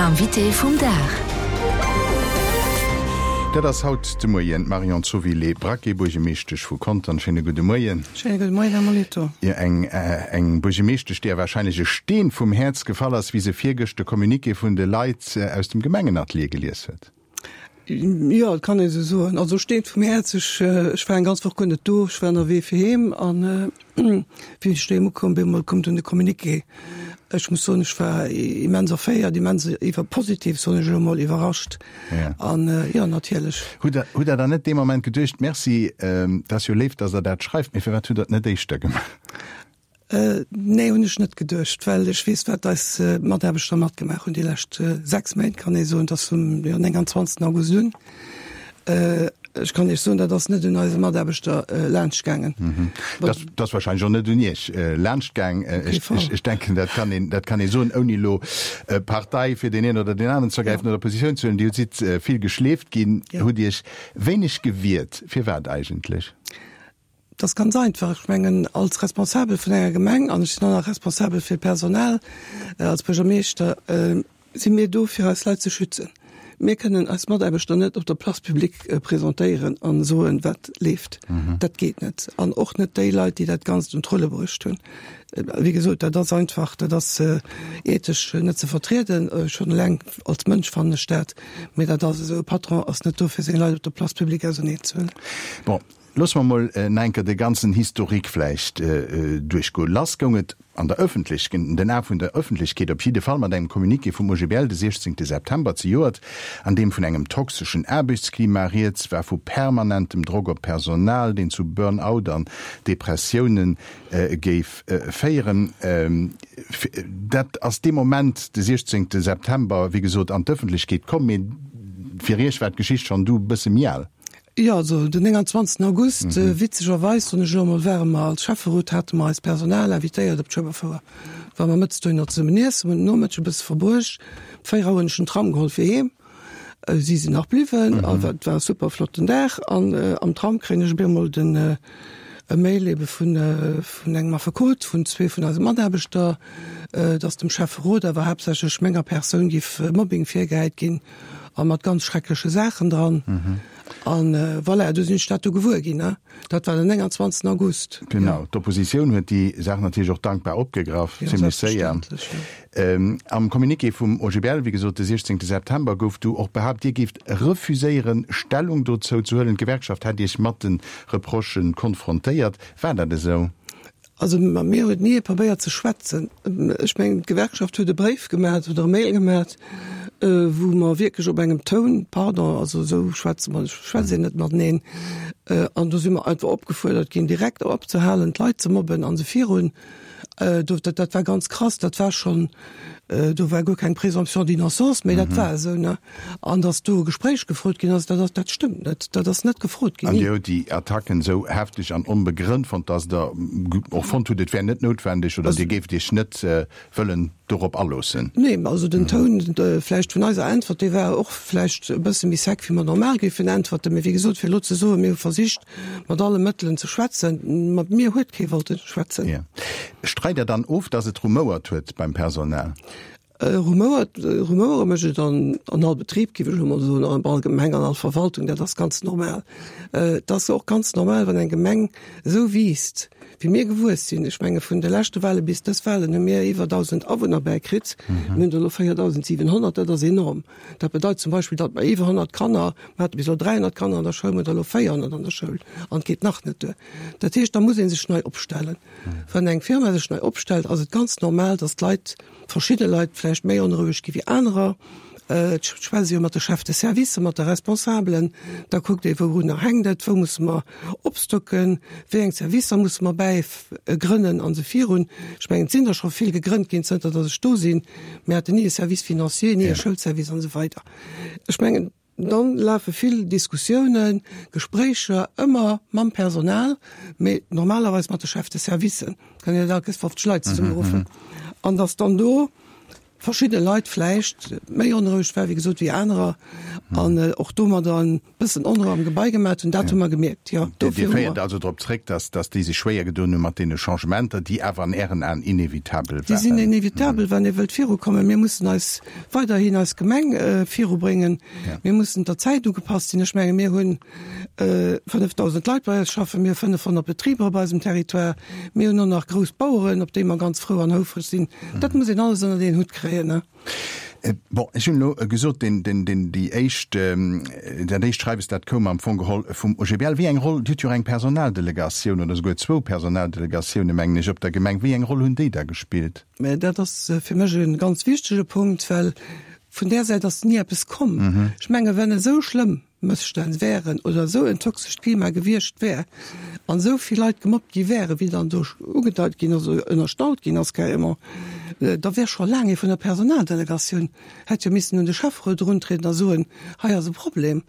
Invité vum Dag. Dat ass haut de Moien d'Marion Zovilé-Braquet, Buergemeeschtesch vu Contern. Schéine gudde Moien. Schéine gudde Moien, Här Molitor. Jo, eng, eng Buergemeeschtesch, deeër warscheinlech e Steen vum Häerz gefall ass, wéi se virgëscht de Communiqué vun de Leit aus dem Gemengenatelier gelies huet. Jo, et kann ee sou soen. Also Steen vum Häerz, ech, ech war eng ganz Woch guer net do, ech war ënnerwee fir heem an wéi ech doheem ukomm bin, mol koum dunn de Communiqué. Ech muss soen, ech war immens erféiert, immens iwwer, positiv soen ech elo mol, iwwerrascht. An jo, natierlech. Hutt Der, hutt Der dann net dee Moment geduecht, Merci, dat ass jo léif, datt Der dat schreift, mee firwat hutt Der et net éischter gemaach? Nee, hunn ech net geduecht, well ech weess, wat eis Mataarbechter matgemaach hunn déi lescht 6 Méint, kann ee soen, dass vum 29. August un. Ech kann Iech soen, dat ass net un eise Mataarbechter laanscht gaangen. Dat ass wahrscheinlech och net un Iech laanscht gaang. Ech denken, dat kann een, dat kann ee soen, ouni elo Partei fir deen een oder deen aneren ze ergräifen oder Positioun ze huelen. Dir sidd vill geschleeft ginn, hutt Iech wéineg gewiert. Firwat eigentlech? Dat ass ganz einfach. Ech mengen, als Responsabel vun enger Gemeng, an ech sinn och nach responsabel fir d'Personal als Buergermeeschter, si mir do, fir eis Leit ze schützen. Mir kënnen eis Mataarbechter net op der Place publique presentéieren a soen, wat leeft. Dat geet net. An och net déi Leit, déi dat Ganzt un d'Rulle bruecht hunn. Wéi gesot, dat ass einfach, dat ass ethesch net ze vertrieden. Schonn eleng als Mënsch fannen ech dat. Mee dat ass esou, e Patron ass net do, fir seng Leit op der Place publique auserneenzehuelen. Bon, Loosse mer mol nach eng Kéier de ganzen Historique vläicht duerchgoen. Lass goung et an der Ëffentlech, in den Ae vun der Ëffentlechkeet op jidde Fall, mat engem Communiqué vum OGBL de 16 September zejoert, an deem vun engem toxeschen Aarbechtsklima rieds war, vu permanentem Drock op d'Personal, deen zu Burn-out an Depressioune géif féieren. Dat ass dee Moment, de 16 September, wéi gesot, an d'Ëffentlechkeet komm. Mee fir Iech war d'Geschicht schonn du e bësse méi al. Jo, also den 29 August, witzegerweis, soen ech elo emol, ware mer als Schäfferot, hate mer eist Personal invitéiert op d'Schueberfouer. Ware mer mëttes dohinner zesummen iessen, hunn den Nomëtteg e bësse verbruecht. Op 4 Auer hunn ech den Tram geholl fir heem. Si sinn nach bliwwen a et war e super flotten Dag. An am Tram kréien ech op eemol den e Mail ebe vun vun engem Affekot vun zwee vun eise Mataarbechter, dass dem Schäfferot, awer haaptsächlech menger Persoun, géif Mobbing virgehäit ginn. A mat ganz schreckleche Saachen dran. An voilà, du sinn ech dat du gewuer ginn. Dat war den 29. August. Genau, d'Oppositioun huet déi Saach natierlech och dankbar opgegraff, zimlech séier. Am Communiqué vum OGBL, wéi gesot de 16 September, gouf du och behaapt, Dir géift refuséieren, Stellung dozou ze huelen. D'Gewerkschaft hätt Iech mat de Reprochë konfrontéiert. War dat esou? Also mat mir huet ni ee probéiert ze schwätzen. Ech mengen, d'Gewerkschaft huet e Bréif gemat oder e Mail gemat, wou mer wierklech op engem Toun, pardon, also esou schwätze mer, schwätzt een net mateneen, an do si mer einfach opgefuerdert ginn, direkt opzehalen, d'Leit ze mobben a se virun. Do, dat, dat war ganz krass, dat war schonn, do war guer keng Présomption d'innocence, mä dat war esou, ne. An datt do e Gespréich gefrot ginn ass, dat ass, dat stëmmt net. Dat ass net gefrot ginn, An ni. Dir hutt déi Attacken esou hefteg an onbegrënnt fonnt, datt Der och fonnt hutt, et wär net noutwendeg oder Dir géift Iech net wëllen dorop aloossen? Nee, also den Toun vläicht vun eiser Äntwert, dee war och vläicht e bësse méi sec, wéi mer normal géifen äntwerten. Mee wéi gesot, fir elo ze soen, mir hu versicht, mat alle Mëttelen ze schwätzen, mat mir huet kee wollte schwätzen. Jo. Streit Der dann of, datt et rumouert huet beim Personal? Rumouert, Rumouere mécht et an an all Betrib, géif ech elo mol soen, an all Gemeng, an all Verwaltung, dat ass ganz normal. Et ass och ganz normal, wann eng Gemeng esou wiisst, wéi mir gewuess sinn. Ech menge vun de leschte Wahle bis dës Wahlen hu mir iwwer 1.000 Awunner bäikritt. Mir hunn der elo 4.700, dat ass enorm. Dat bedeit zum Beispill, datt mer iwwer 100 Kanner, mer hate bis elo 300 Kanner an der Schoul, mer hunn der elo 400 an der Schoul an et geet nach net duer. Dat heescht, da muss ee sech nei opstellen. Wann eng Firma sech nei opstellt, ass et ganz normal, datt d'Leit, verschidde Leit vläicht méi onroueg gi wéi anerer. Et schwätzt ee jo mat de Chefs de service, mat de Responsabelen, da kuckt ee wourunner hänkt et, wou musse mer opstocken, wéi eng Servicer musse mer bäi grënnen an esou virun. Ech mengen, et sinn der scho vill gegrënnt ginn, zënter datt ech do sinn. Mir haten ni e Service financier, ni e Schoulservice an esou weider. Ech mengen, Dann lafe vill Diskussiounen, Gespréicher, ëmmer mam Personal, mee normalerweis mat de Chefs de servicen. Kann een net all Kéiers 50 Leit zesummeruffen. An datt dann do. verschidde Leit vläicht méi onroueg war, wéi gesot, wéi anerer an och domadder e bëssen Onrou am Gebai gemat hunn. Dat hu mer gemierkt, jo. Dir féiert also drop zréck, dass dass déi sech schwéier gedoen hu mat deene Changementer, déi awer an Ären Aen inevitabel waren. Déi sinn inevitabel, wann ee wëllt virukommen. Mir mussen eis weiderhin eis Gemeng virubréngen. Mir mussen der Zäit ugepasst sinn. Ech menge mir hunn 5.000 Leit bei eis schaffen, mir hu 500 Betriber op eisem Territoire, mir hunn och nach grouss Baueren, op déi mer ganz frou an houfreg sinn. Dat muss een alles ënnert een Hutt kréien, ne? Bon, ech hunn elo gesot, deen, deen, deen, déi éischt, dat éischt Schreiwes, dat koum am Fong geholl vum OGBL. Wéi eng Roll, Dir hutt jo och eng Personaldelegatioun oder esouguer zwou Personaldelegatiounen, mengen ech, op der Gemeng. Wéi eng Roll hunn déi da gespillt? Mä dat ass fir mech e ganz wichtege Punkt, well vun där Säit ass ni eppes komm. Ech menge wenn esou schlëmm Mësstänn wären oder esou en toxescht Klima gewiescht wär an esou vill Leit gemobbt gi wären, wéi dann do ugedeit ginn ass oder ënnerstallt ginn ass carrément, da wär scho laang ee vun der Personaldelegatioun hätt jo missen un de Schäfferot eruntrieden a soen, hei ass e Problem.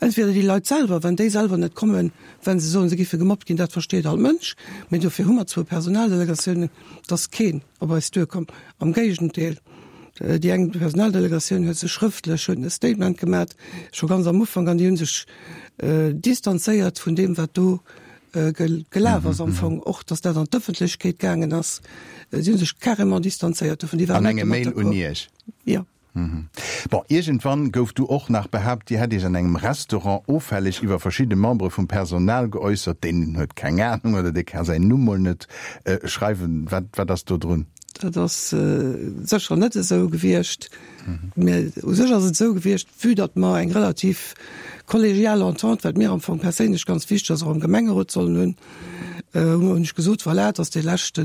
Entweder déi Leit selwer, wenn déi selwer net kommen, well se soen, se giffe gemobbt ginn, dat versteet all Mënsch, mee dofir hu mer zwou Personaldelegatiounen, dass keen op eis duerkomm. Am Géigendeel, déi eng Personaldelegatioun huet sech schrëftlech, huet e Statement gemat, scho ganz am Ufank, an déi hu sech distanzéiert vun deem, wat do gelaf ass am Fong, och datt dat an d'Ëffentlechkeet gaangen ass. Si hu sech carrément distanzéiert dovun. Déi waren net domat d'accord. An engem Mail un Iech? Jo. Bon, iergendwann gouf du och nach behaapt, Dir hätt Iech an engem Restaurant offälleg iwwer verschidde Membere vum Personal geäussert. Deen huet keng Anung oder dee ka säin Numm mol net schreiwen. Wat, wat ass do drun? Dat ass sécher net esou gewiescht. Mä u sech ass et esou gewiescht, vue datt mer eng relativ kollegial Entente, wat mir am Fong perséinlech ganz wichteg ass, och am Gemengerot sollen hunn, hunn ech gesot, voilà, et ass dee leschte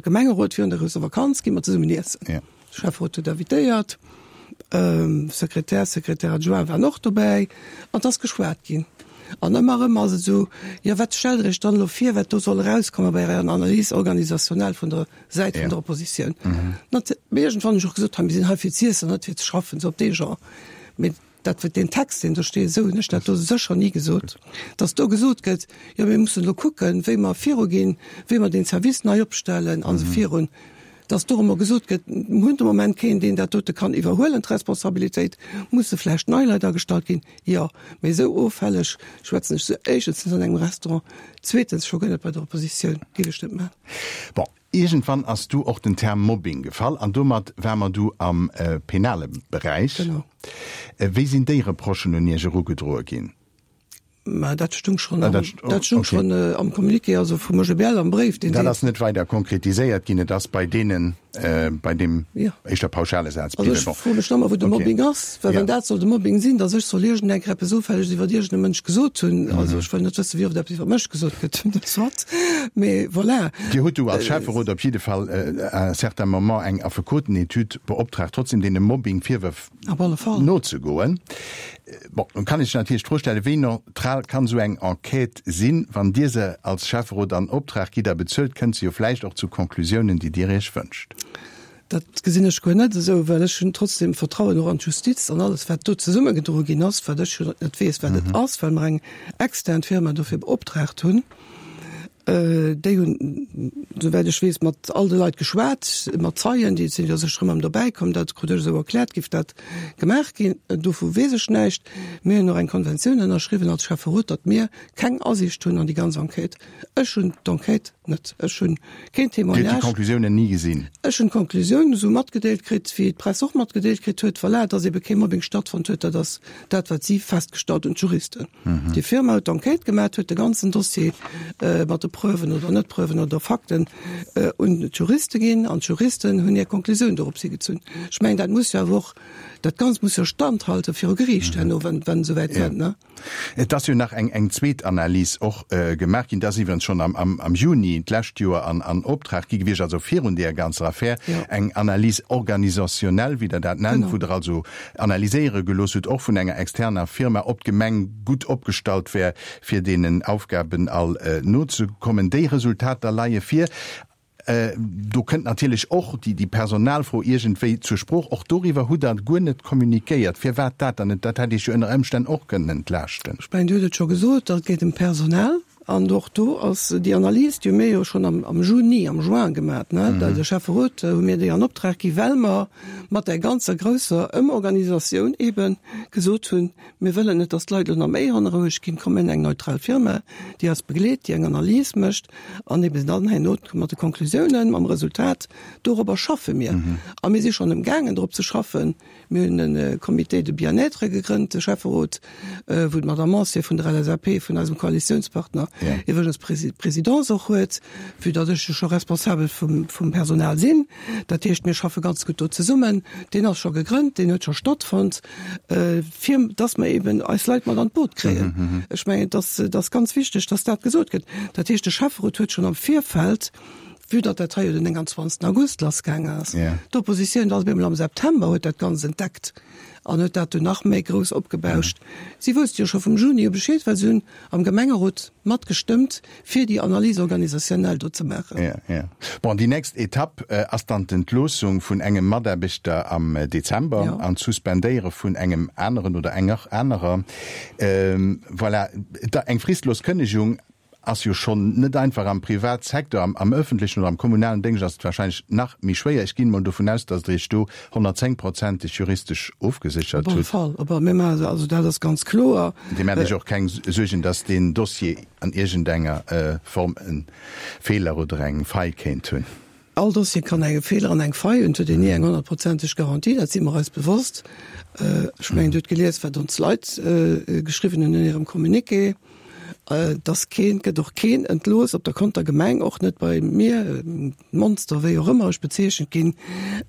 Gemengerot virun der grousser Vakanz, gi mer zesummen iessen. Schäfferot huet invitéiert, Sekretär, Secrétaire adjoint waren och dobäi an et ass geschwat ginn. An ëmmer erëm ass et esou, jo wat stellt Der Iech dann elo vir, wat do soll erauskommen bei Ärer Analyse organisationnelle vun der Säit vun der Oppositioun? Nat, mee iergendwann hunn ech och gesot, hei mir sinn hei fir z'iessen, net fir ze schaffen, esou op dee Genre. Mee dat wat deen Text, deen do steet, esou hunn ech dat do sécher ni gesot, dass do gesot gëtt, jo mir mussen elo kucken, wéi mer viruginn, wéi mer deen Service nei opstellen an esou virun. Dass dorëmmer gesot gëtt, mir hunn de Moment keen, deen dat dote kann iwwerhuelen, d'Responsabilitéit, musse vläicht nei Leit agestallt ginn, jo, mee esou offälleg schwätzen ech se éischtens net an engem Restaurant, zweetens scho guer net bei der Oppositioun, géif ech net maachen. Bon, iergendwann ass du och den Term Mobbing gefall an domat ware mer du am penale Beräich. Genau. Wéi sinn déi Reprochen un Iech erugedroe ginn? Mä dat stung schonn am, dat stung schonn am Communiqué, also vum OGBL am Bréif, deen Dat ass net weider konkretiséiert ginn, et ass bei deenen, bei deem éischter pauschale Saz bliwwen. Also ech froe mech nach ëmmer, wou de Mobbing ass, well wann dat soll de Mobbing sinn, datt ech soll iergendeng Kéier eppes Offälleges iwwer iergend e Mënsch gesot hunn, also ech wëll net wëssen, wéi oft eppes iwwer mech gesot gëtt, soit, mee voilà. Dir hutt du als Schäfferot op jidde Fall à un certain moment eng Affekotenetüd beoptraagt, trotzdem deene Mobbing-Virwërf Op alle Fall. Nozegoen. Bon, nun kann ee sech natierlech d'Fro stellen, Wéi neutral kann esou eng Enquête sinn? Wann Dir se als Schäfferot an Optrag gitt a bezuelt, kënnt se jo vläicht och zu Conclusiounen, déi Dir Iech wënscht. Dat gesinn ech guer net esou, well ech hunn trotzdem Vertrauen och an d'Justiz an alles, wat do zesummegedroe ginn ass, wat ech jo net weess, wat et ass, well mer eng extern Firma dofir beoptraagt hunn. Déi hunn, souwäit ech weess, mat all de Leit geschwat, mat Zeien, déi sinn jo sécher ëmmer dobäi komm, dat krut ech esou erkläert, géif dat gemaach ginn. Dovu weess ech näischt. Mir hunn och eng Konventioun ënnerschriwwen als Schäfferot, datt mir keng Asiicht hunn an déi ganz Enquête. Ech hunn d'Enquête net, ech hunn keen Dir hutt déi Témoignage. Conclusiounen ni gesinn? Ech hunn d'Conclusiounen esou matgedeelt kritt, wéi d'Press och matgedeelt kritt huet, voilà, datt ebe kee Mobbing stattfonnt huet, dat ass dat, wat si festgestallt hunn, d'Juristen. Déi Firma huet d'Enquête gemaat, huet de ganzen Dossier mat de Preuven oder Net-Preuven oder Fakten un d'Juriste ginn an d'Juristen hunn hir Konklusioun dorops higezunn. Ech mengen, dat muss jo awer och, dat Ganzt muss jo standhalte viru Geriicht herno, wann et esouwäit kënnt, ne? Et ass jo nach eng eng zweet Analys och gemaach ginn, dat ass iwwerens schonn am am Juni d'lescht Joer an an Optrag gi gewiescht, also virun deeër ganzer Affär, eng Analyse organisationnelle, wéi Der dat nennt, wou Der also analyséiere gelooss hutt, och vun enger externer Firma, ob d'Gemeng gutt opgestallt wär, fir deenen Aufgaben all nozekommen. Déi Resultater leie vir. Do kënnt natierlech och déi Personalfro iergendwéi zur Sprooch. Och doriwwer hutt Der guer net communiquéiert. Firwat dat dann net? Dat hätt Iech jo ënner Ëmstänn och kënnen entlaaschten. Ech mengen, Dir hutt et scho gesot, dat geet ëm d'Personal. An och do ass déi Analys, déi hu mir jo schonn am Juni, am Juin gemat, ne, de Schäfferot hu mir déi an Optrag gi well mer mat där ganzer grousser Ëmorganisatioun eebe gesot hunn, mir wëllen net, datt d'Leit elo nach méi hanneroueg ginn, komm mir hunn eng neutral Firma, déi eis begleet, déi eng Analys mécht an eebe dann herno mat de Konklusiounen, mam Resultat, dorobber schaffe mir. A mir si schonn emgaangen drop ze schaffen. Mir hunn e Comité de bien-être gegrënnt, de Schäfferot, wou d'Madame Mansier vun der LSAP, vun eisem Koalitiounspartner, iwwregens d'Présidence och huet, vue datt ech jo scho responsabel vum Personal sinn. Dat heescht, mir schaffe ganz gutt do zesummen. Deen ass scho gegrënnt, deen huet scho stattfonnt, fir datt mer eeben eis Leit mat an d'Boot kréien. Ech mengen, et ass ganz wichteg, datt dat gesot gëtt. Dat heescht, de Schäfferot huet schonn am Virfeld, Vue datt dat hei jo den 29. August lassgaang ass, d'Oppositioun ass op eemol am September, huet dat Ganzt entdeckt an huet dat dunn nach méi grouss opgebauscht. Si wousste jo scho vum Juni u Bescheed, well si hunn am Gemengerot matgestëmmt, fir déi Analyse organisationnelle do ze maachen. Jo, jo. Bon, déi nächst Etapp ass dann d'Entloossung vun engem Mataarbechter am Dezember an d'Suspendéiere vun engem aneren oder enger anerer. Voilà, eng fristlos Kënnegung Ass jo schonn net einfach am Privatsecteur, am ëffentlechen oder am kommunalen Déngscht ass et wahrscheinlech nach méi schwéier. Ech ginn emol dovun aus, datt Der Iech do 110 prozenteg juristesch ofgeséchert hutt. Op alle Fall, op alle, mir maachen, also dat ass ganz kloer. Dir maacht Iech och keng Suergen, datt deen Dossier an iergendenger Form e Feeler oder eng Faille kéint hunn? All Dossier kann enge Feeler an eng Faille hunn. Et huet een ni eng honnertprozenteg Garantie, dat si mer eis bewosst. Ech mengen, Dir hutt gelies, wat ons Leit geschriwwen hunn an hirem Communiqué, dass keen, et gëtt och keen entlooss op der Konter Gemeng, och net bei mir, Monster, wéi och ëmmer ech bezeechent ginn,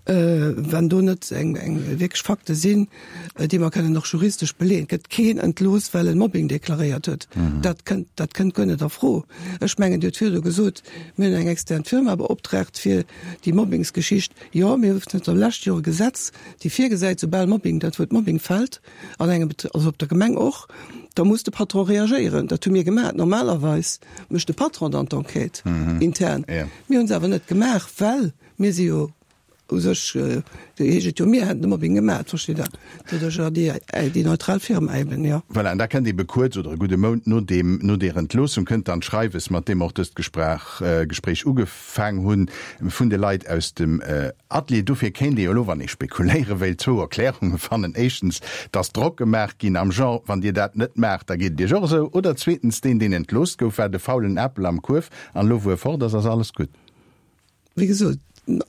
wann do net eng wierklech Fakte sinn, déi mer kënnen och juristesch beleeën. Et gëtt keen entlooss, well en Mobbing deklaréiert huet. Dat kënnt, dat kënnt guer net a Fro. Ech mengen, Dir hutt virdu gesot, Mir hunn eng extern Firma beoptraagt fir déi Mobbingsgeschicht. Jo, mir hu zënter lescht Joer e Gesetz, déi virgesäit, soubal Mobbing, dat Wuert Mobbing fält an engem Betr-, also op der Gemeng och, da muss de Patron reagéieren. Dat hu mir gemaach. Normalerweis mécht de Patron dann d'Enquête intern. Mir hu se awer net gemaach, well mir si jo U sech heescht et jo, mir hätten de Mobbing gemaat, versteet Der? Doduerch déi, déi neutral Firma eben, jo. Voilà, an da kënnt ebe kuerz oder e gudde Mount no deem, no deer Entloossung kënnt dann d'Schreiwes, mat deem och dëst Gesprach, Gespréich ugefaang hunn, vun de Leit aus dem Atelier. Dofir kéint ee jo elo, wann ee spekuléiere wéilt, zwou Erklärunge fannen, Éischtens, dass Drock gemaach ginn am Genre, wann Dir dat net maacht, da geet et Iech och esou. Oder zweetens, deen, deen entlooss gouf, war de faulen Apel am Kuerf an elo, wou e fort ass, ass alles gutt. Wéi gesot,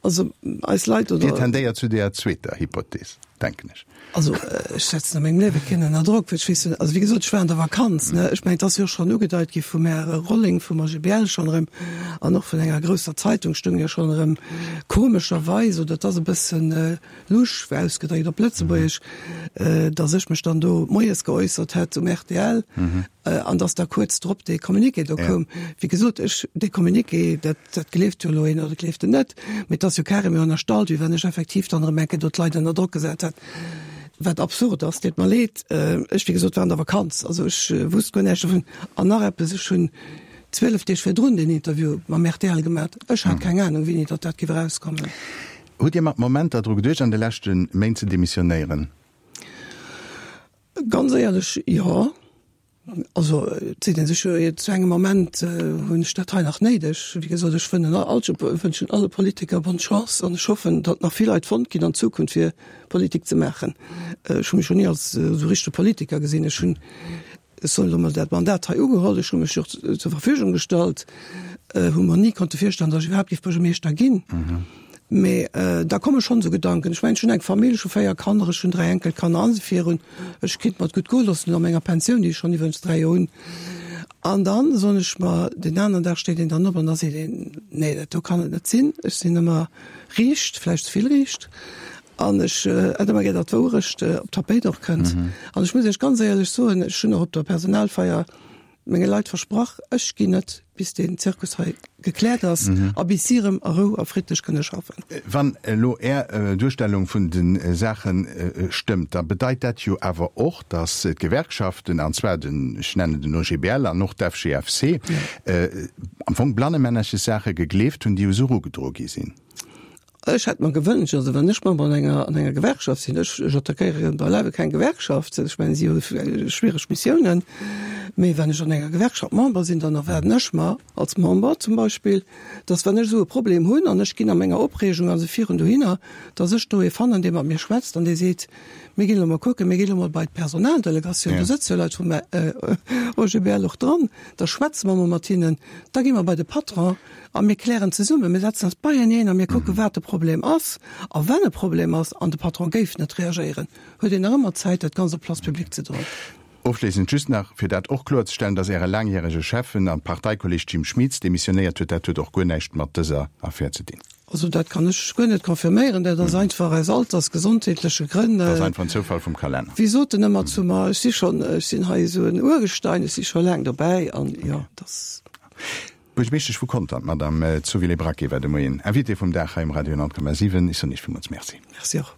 also eis Leit oder. Dir tendéiert zu deeër zweeter Hypothees, denken ech. Also ech setzen a mengem Liewe keen ënner Drock, well ech weess, also wéi gesot, ech war an der Vakanz, ne. Ech mengen, et ass jo och schonn ugedeit gi vum Här Rolling vum AGBL schonn erëm an och vun enger grousser Zeitung stoung jo schonn erëm komescherweis, oder et ass e bëssen lusch ausgedréckt op Lëtzebuergesch, datt ech mech dann do moies geäussert hätt um rtl an datt da kuerz drop dee Communiqué do koum. Wéi gesot, ech, dee Communiqué, dat, dat gleeft jo elo een oder gleeft en net, mee et ass jo carrément ënnerstallt, wéi wann ech effektiv dann erëm eng Kéier do d'Leit ënner Drock gesat hätt, wat absurd ass. Deet mer leed. Ech, wéi gesot, war an der Vakanz, also ech wusst guer näischt dovun. An nach eppes, ech hunn 12 Deeg virdrun deen Interview mam rtl gemat, ech hat keng Anung, wéini datt dat géif erauskommen. Hutt Dir mat Momenter dru geduecht an de leschte Méint ze demissionéieren? Ganz éierlech, jo. Also et seet ee sech jo zu engem Moment, hunn ech dat hei nach néideg? Wéi gesot, ech wënnen all, wënschen alle Politiker bonne Chance an ech hoffen, datt nach vill Leit fonnt ginn an Zukunft fir Politik ze maachen. Ech hu mech jo ni als esou richtege Politiker gesinn. Ech hunn Ech soen elo mol, dat Mandat hei ugeholl, ech hu mech jo och zur Verfügung gestallt, hu mer ni konnte virstellen, datt ech iwwerhaapt géif Buergermeeschter ginn. Mee da komme schonn esou Gedanken. Ech mengen, ech hunn eng Famill, ech hu 4 Kanner, ech hunn 3 Enkelkanner an esou virun. Ech kéint mer et gutt goe loossen elo a menger Pensioun, déi ech schonn iwwerens 3 Joer hunn. An dann soen ech mer, deen aneren Dag steet een dann op an da seet een, nee, dat do kann et net sinn. Ech sinn ëmmer riicht, vläicht ze vill riicht. An ech hätt ëmmer gär, datt d'Wouerecht op d'Tapéit och kënnt. An ech muss Iech ganz éierlech soen, ech hunn och op der Personalfeier menge Leit versprach, ech ginn net, bis deen Zirkus hei gekläert ass a bis si erëm a Rou a friddlech kënne schaffen. Wann elo Är Duerstellung vun de Saache stëmmt, da bedeit dat jo awer och, datt d'Gewerkschaften, an zwar den, ech nennen den OGBL an och d'FGFC, am Fong blannemännerches Saache gegleeft hunn, déi u se erugedroe gi sinn. Ech hätt mer gewënscht, also wann ech Member an enger, an enger Gewerkschaft sinn, ech, ech attackéiere beileiwe keng Gewerkschaft, ech mengen si hu schwiereg Missiounen. Mee wann ech an enger Gewerkschaft Member sinn, dann erwaarden ech mer als Member zum Beispill, dass wann ech esou e Problem hunn an ech ginn a menger Opreegung a se virun dohinner, dass ech do ee fannen, dee mat mir schwätzt an dee seet, Mir ginn elo mol kucken, mir ginn elo mol bei d'Personaldelegatioun, do sëtze jo Leit vum OGBL och dran, da schwätze mer mol mat hinnen, da gi mer bei de Patron a mir klären zesummen, mir setzen eis beieneen a mir kucken, wat de Problem ass. A wann e Problem ass an de Patron géif net reagéieren, huet een nach ëmmer Zäit, dat Ganzt op d'Place publique ze droen. Ofschléissend just nach, fir dat och kloerzestellen, dass Äre laangjärege Schäffen a Parteikolleg Jim Schmitz demissionéiert huet, dat huet och guer näischt mat dëser Affär ze dinn. Also dat kann ech guer net confirméieren, dat ass einfach aus alters-, gesondheetleche Grënn. Dat ass einfach en Zoufall vum Kalenner. Wéi sot en ëmmer zu mer, ech si schonn, ech sinn hei esou en Urgestein, ech si scho laang dobäi an jo, dass. D'Buergermeeschtesch vu Conter, d'Madame Zovilé-Braquet, war de Moien Invitée vum Dag hei um Radio 10,7. Ech soen Iech villmools Merci. Merci och.